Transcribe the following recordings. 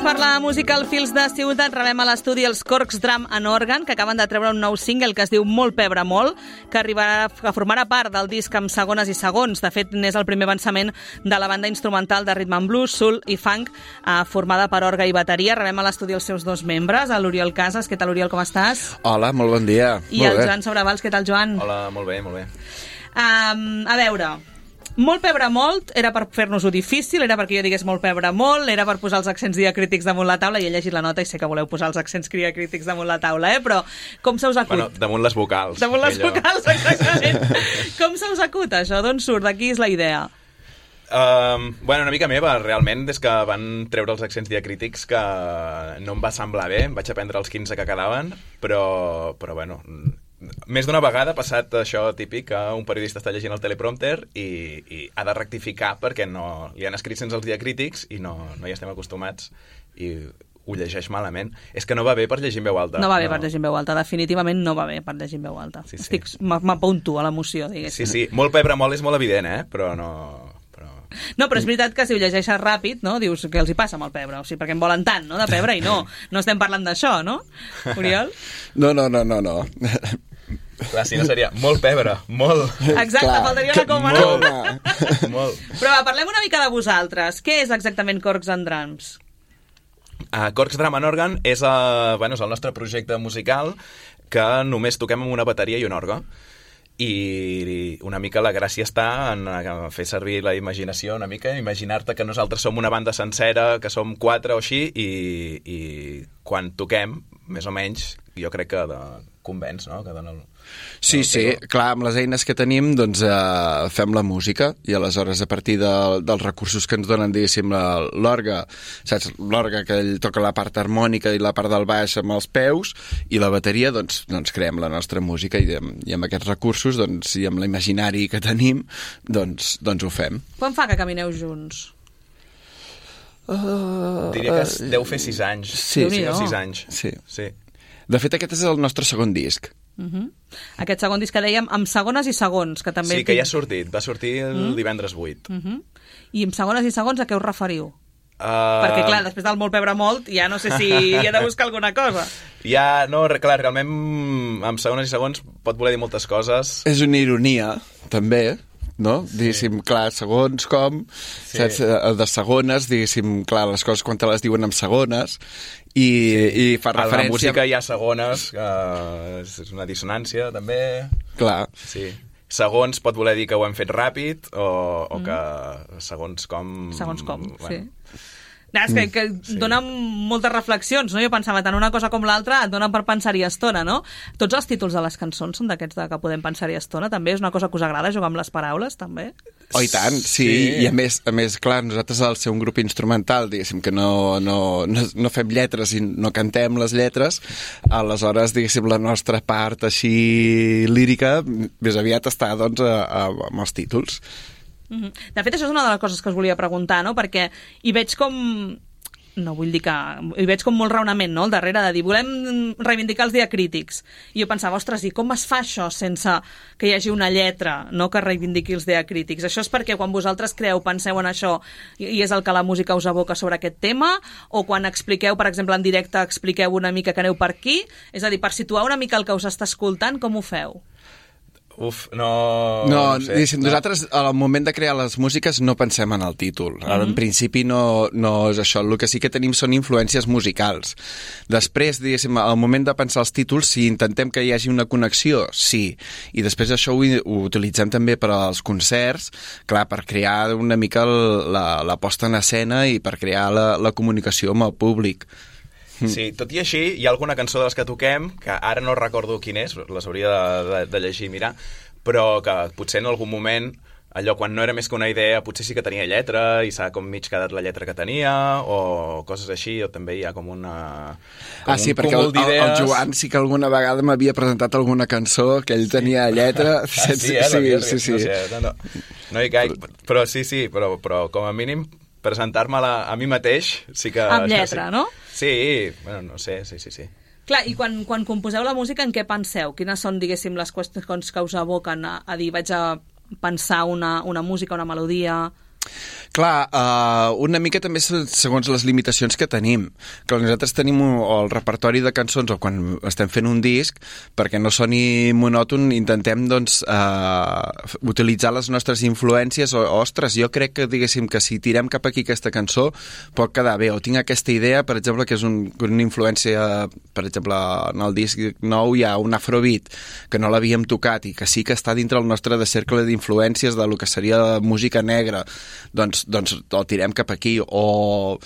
per la música al Fils de Ciutat rebem a l'estudi els Corcs Drum and Organ, que acaben de treure un nou single que es diu Molt Pebre Molt, que formarà part del disc amb segones i segons. De fet, n'és el primer avançament de la banda instrumental de rhythm and blues, soul i funk, formada per orgue i bateria. Rebem a l'estudi els seus dos membres, l'Oriol Casas. Què tal, Oriol, com estàs? Hola, molt bon dia. I el Joan Sobravals. Què tal, Joan? Hola, molt bé, molt bé. A veure... Molt pebre molt era per fer-nos-ho difícil, era perquè jo digués molt pebre molt, era per posar els accents diacrítics damunt la taula, i he llegit la nota i sé que voleu posar els accents diacrítics damunt la taula, però com se us acut? Bueno, damunt les vocals. Damunt les vocals, exactament. Com se us acut això? D'on surt? De qui és la idea? Bueno, una mica meva, realment, des que van treure els accents diacrítics, que no em va semblar bé, em vaig aprendre els 15 que quedaven, però bueno... Més d'una vegada ha passat això típic, que un periodista està llegint el teleprompter i ha de rectificar perquè no, li han escrit sense els diacrítics i no hi estem acostumats i ho llegeix malament. És que no va bé per llegir en veu alta. No va bé per llegir en veu alta, definitivament no va bé per llegir en veu alta. Sí. M'apunto a l'emoció, diguéssim. Sí, molt pebre molt és molt evident, però no... No, però és veritat que si ho llegeixes ràpid, no, dius què els hi passa amb el pebre, o sigui, perquè en volen tant, no, de pebre, i no estem parlant d'això, no, Oriol? No. Clar, si no seria molt pebre, molt. Exacte, clar, faltaria una coma, no? Molt. Però va, parlem una mica de vosaltres. Què és exactament Corcs and Drums? Corcs Drum and Organ és el nostre projecte musical que només toquem amb una bateria i un orgue. I una mica la gràcia està en fer servir la imaginació una mica, imaginar-te que nosaltres som una banda sencera, que som 4 o així, i quan toquem, més o menys, jo crec que convenç, no? Que dona Sí, clar, amb les eines que tenim doncs fem la música i aleshores a partir dels recursos que ens donen, diguéssim, l'orgue, saps? L'orgue que ell toca la part harmònica i la part del baix amb els peus, i la bateria doncs creem la nostra música i amb aquests recursos i amb l'imaginari que tenim doncs ho fem. Quan fa que camineu junts? Diria que deu fer 6 anys. Sí, 5 o 6 anys. Sí. De fet, aquest és el nostre segon disc. Aquest segon disc que dèiem amb segones i segons, que també... Sí, que ja ha sortit, va sortir el divendres 8. I amb segones i segons a què us referiu? Perquè, clar, després del molt pebre molt, ja no sé si hi ha de buscar alguna cosa. Clar, realment amb segones i segons pot voler dir moltes coses. És una ironia, també, no? Sí. Diguéssim, clar, segons com, sí. Saps? De segones, diguéssim, clar, les coses quan te les diuen amb segones, i fa referència... A la música hi ha segones, és una dissonància, també. Clar. Sí. Segons pot voler dir que ho hem fet ràpid, o que segons com... Segons com, bueno. Sí. És que dona moltes reflexions, no? Jo pensava, tant una cosa com l'altra et donen per pensar-hi estona, no? Tots els títols de les cançons són d'aquests que podem pensar-hi estona, també? És una cosa que us agrada, jugar amb les paraules, també? Oh, i tant, sí. I a més, clar, nosaltres al ser un grup instrumental, diguéssim, que no fem lletres i no cantem les lletres, aleshores, diguéssim, la nostra part així lírica més aviat està, doncs, amb els títols. De fet, això és una de les coses que us volia preguntar, no? Perquè hi veig com... No vull dir que... Hi veig com molt raonament, no?, al darrere de dir volem reivindicar els diacrítics. I jo pensava, ostres, i com es fa això sense que hi hagi una lletra, no?, que reivindiqui els diacrítics? Això és perquè quan vosaltres penseu en això i és el que la música us aboca sobre aquest tema? O quan expliqueu, per exemple, en directe, expliqueu una mica que aneu per aquí? És a dir, per situar una mica el que us està escoltant, com ho feu? No sé, nosaltres al moment de crear les músiques no pensem en el títol. En principi no és això. El que sí que tenim són influències musicals. Després, diguéssim, al moment de pensar els títols, si intentem que hi hagi una connexió, sí. I després això ho utilitzem també per als concerts, clar, per crear una mica la posta en escena i per crear la comunicació amb el públic. Sí, tot i així, hi ha alguna cançó de les que toquem, que ara no recordo quin és, les hauria de llegir i mirar, però que potser en algun moment, allò quan no era més que una idea, potser sí que tenia lletra i s'ha com mig quedat la lletra que tenia, o coses així, o també hi ha com una... Sí, perquè el Joan sí que alguna vegada m'havia presentat alguna cançó que ell tenia lletra. Sí. No hi caic, però sí, però com a mínim presentar-me-la a mi mateix sí que... Amb lletra, no? Sí, bueno, no sé, sí. Clar, i quan composeu la música, en què penseu? Quines són, diguéssim, les qüestions que us aboquen a dir vaig a pensar una música, una melodia? Clar, una mica també segons les limitacions que tenim. Que nosaltres tenim el repertori de cançons o quan estem fent un disc, perquè no soni monòton, intentem doncs, utilitzar les nostres influències ostres, jo crec que diguéssim que si tirem cap aquí aquesta cançó pot quedar bé, o tinc aquesta idea, per exemple, que és una influència, per exemple, en el disc nou hi ha un afrobeat que no l'havíem tocat i que sí que està dintre el nostre de cercle d'influències de lo que seria música negra, doncs el tirem cap aquí, o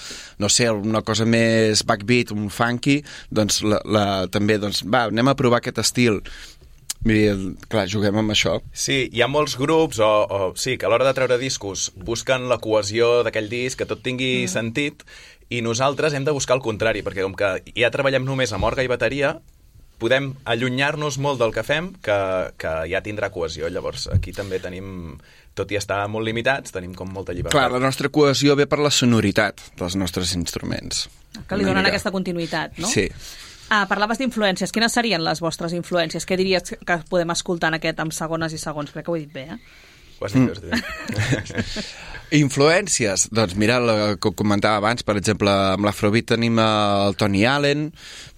no sé, una cosa més backbeat, un funky, doncs també, doncs va, anem a provar aquest estil. Mira, clar, juguem amb això. Sí, hi ha molts grups sí, que a l'hora de treure discos busquen la cohesió d'aquell disc, que tot tingui sentit, i nosaltres hem de buscar el contrari, perquè com que ja treballem només amb orga i bateria, podem allunyar-nos molt del que fem, que ja tindrà cohesió. Llavors, aquí també tenim, tot i estar molt limitats, tenim com molta llibertat. Clar, la nostra cohesió ve per la sonoritat dels nostres instruments. Que li donen aquesta continuïtat, no? Sí. Parlaves d'influències. Quines serien les vostres influències? Què diries que podem escoltar en aquest amb segones i segons? Crec que ho he dit bé, Ho has dit bé. Influències? Doncs mira, el que comentava abans, per exemple, amb l'Afrobeat tenim el Tony Allen,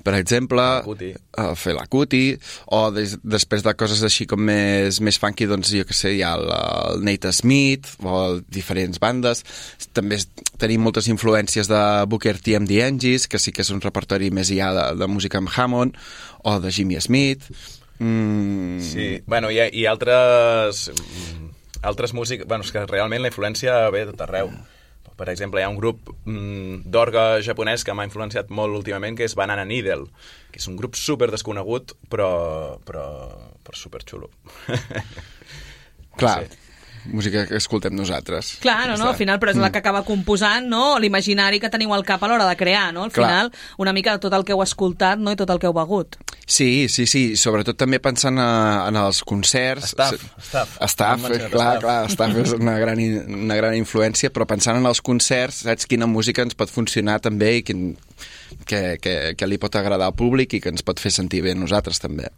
per exemple, el Fela Kuti, o després de coses així com més funky, doncs jo què sé, hi ha el Nate Smith, o diferents bandes. També tenim moltes influències de Booker T and the Angels, que sí que és un repertori més ja de música amb Hammond, o de Jimmy Smith. Sí, bueno, i altres músics, bueno, és que realment la influència ve de tot arreu. Per exemple, hi ha un grup d'orga japonès que m'ha influenciat molt últimament, que és Banana Needle, que és un grup super desconegut, però super xulo. Clar, sí. Música que escoltem nosaltres. Clar, no, al final, però és la que acaba composant, no?, l'imaginari que teniu al cap a l'hora de crear, no? Al final, una mica de tot el que heu escoltat, no?, i tot el que heu begut. Sí, sobretot també pensant en els concerts. Staff, clar, Staff és una gran influència, però pensant en els concerts, saps quina música ens pot funcionar també i que li pot agradar al públic i que ens pot fer sentir bé a nosaltres també.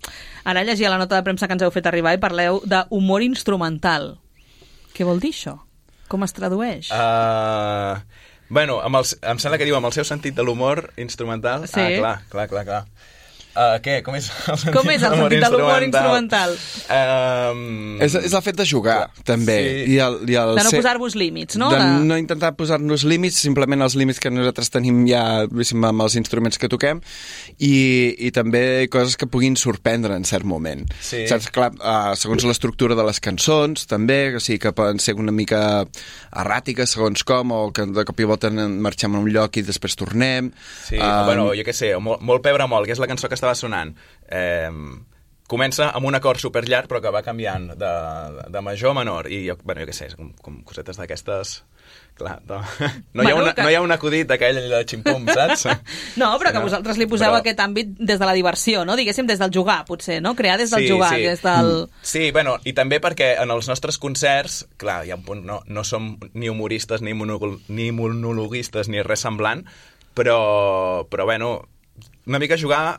Ara llegia la nota de premsa que ens heu fet arribar i parleu d'humor instrumental. Què vol dir això? Com es tradueix? Bueno, em sembla que diu amb el seu sentit de l'humor instrumental. Sí. Clar. Què? Com és el sentit, de l'humor instrumental? És el fet de jugar, també. Sí. De no posar-vos límits, no? De no intentar posar-nos límits, simplement els límits que nosaltres tenim ja amb els instruments que toquem, i també coses que puguin sorprendre en cert moment. Sí. Saps? Clar, segons l'estructura de les cançons, també, o sigui, que poden ser una mica erràtiques, segons com, o que de cop i volta marxem a un lloc i després tornem. Sí, bueno, jo què sé, molt pebre molt, que és la cançó que estava sonant, comença amb un acord superllarg però que va canviant de major a menor i jo què sé, com cosetes d'aquestes, clar, no hi ha un acudit d'aquell de ximpum, saps? No, però que vosaltres li poseu aquest àmbit des de la diversió, no? Diguéssim, des del jugar, potser, no? Crear des del jugar, des del... Sí, bueno, i també perquè en els nostres concerts, clar, hi ha un punt, no som ni humoristes, ni monologuistes, ni res semblant, però bueno, una mica jugar,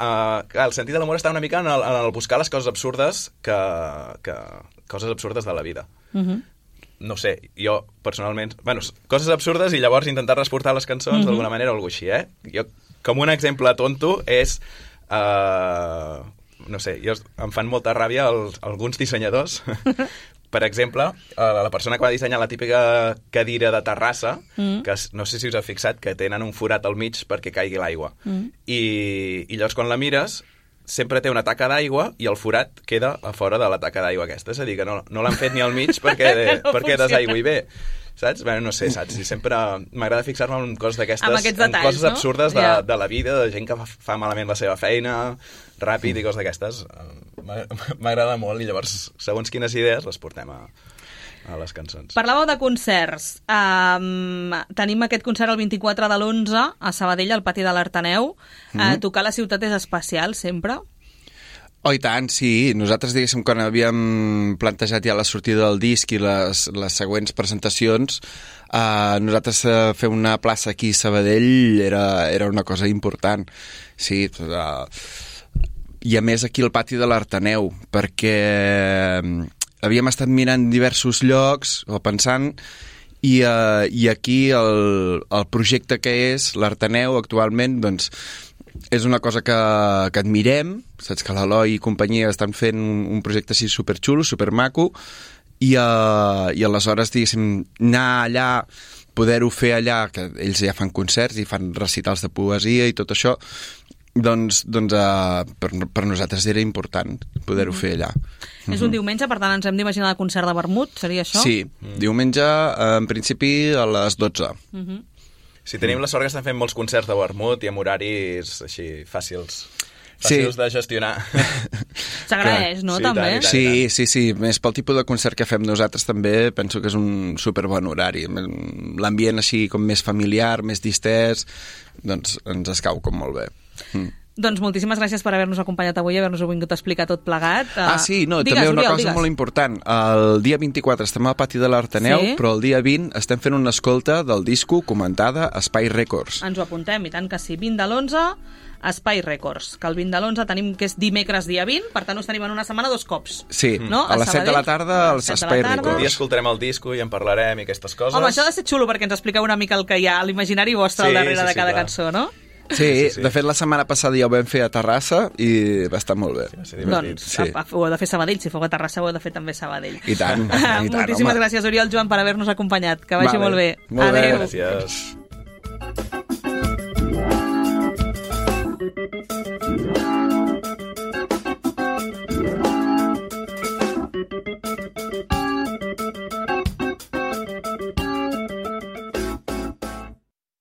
el sentit de l'humor està una mica en el buscar les coses absurdes coses absurdes de la vida. No sé, jo personalment, bueno, coses absurdes i llavors intentar transportar les cançons d'alguna manera o alguna així, Jo, com un exemple tonto és no sé, em fan molta ràbia alguns dissenyadors. Per exemple, la persona que va dissenyar la típica cadira de terrassa, que no sé si us heu fixat, que tenen un forat al mig perquè caigui l'aigua. I llavors quan la mires, sempre té una taca d'aigua i el forat queda a fora de la taca d'aigua aquesta. És a dir, que no l'han fet ni al mig perquè desaigüi bé. Saps? Bé, no sé, saps? I sempre m'agrada fixar-me en coses d'aquestes, en coses absurdes de la vida, de gent que fa malament la seva feina, ràpid i coses d'aquestes. M'agrada molt i llavors, segons quines idees, les portem a les cançons. Parlàveu de concerts. Tenim aquest concert el 24 de l'11 a Sabadell, al pati de l'Arteneu. Tocar a la ciutat és especial, sempre? Oh, i tant, sí. Nosaltres, diguéssim, quan havíem plantejat ja la sortida del disc i les següents presentacions, nosaltres fer una plaça aquí a Sabadell era una cosa important. Sí, i a més aquí al pati de l'Arteneu, perquè havíem estat mirant diversos llocs o pensant i aquí el projecte que és l'Arteneu actualment, doncs, és una cosa que admirem, saps que l'Eloi i companyia estan fent un projecte així superxulo, supermaco, i aleshores, diguéssim, anar allà, poder-ho fer allà, que ells ja fan concerts i fan recitals de poesia i tot això, doncs per nosaltres era important poder-ho fer allà. És un diumenge, per tant ens hem d'imaginar el concert de vermut, seria això? Sí, diumenge, en principi, a les 12. Sí, tenim la sort que estan fent molts concerts de vermut i amb horaris així fàcils de gestionar. S'agraeix, no, sí, també? Sí. Més pel tipus de concert que fem nosaltres també penso que és un superbon horari. L'ambient així com més familiar, més distès, doncs ens escau com molt bé. Doncs moltíssimes gràcies per haver-nos acompanyat avui i haver-nos vingut a explicar tot plegat. Sí, també una cosa molt important. El dia 24 estem al pati de l'Arteneu, però el dia 20 estem fent una escolta del disco comentada a Espai Records. Ens ho apuntem, i tant que sí. 20 de l'11, Espai Records, que el 20 de l'11 tenim que és dimecres dia 20, per tant us tenim en una setmana 2 cops. Sí, no? A les 7 de la tarda als Espai Records. Un dia escoltarem el disco i en parlarem i aquestes coses. Home, això ha de ser xulo perquè ens expliqueu una mica el que hi ha a l'imaginari vostre al darrere de cada cançó, no? Sí, de fet la setmana passada ja ho vam fer a Terrassa i va estar molt bé. Doncs ho heu de fer Sabadell, si feu a Terrassa ho heu de fer també Sabadell. I tant. Moltíssimes gràcies, Oriol, Joan, per haver-nos acompanyat. Que vagi molt bé. Molt bé. Gràcies.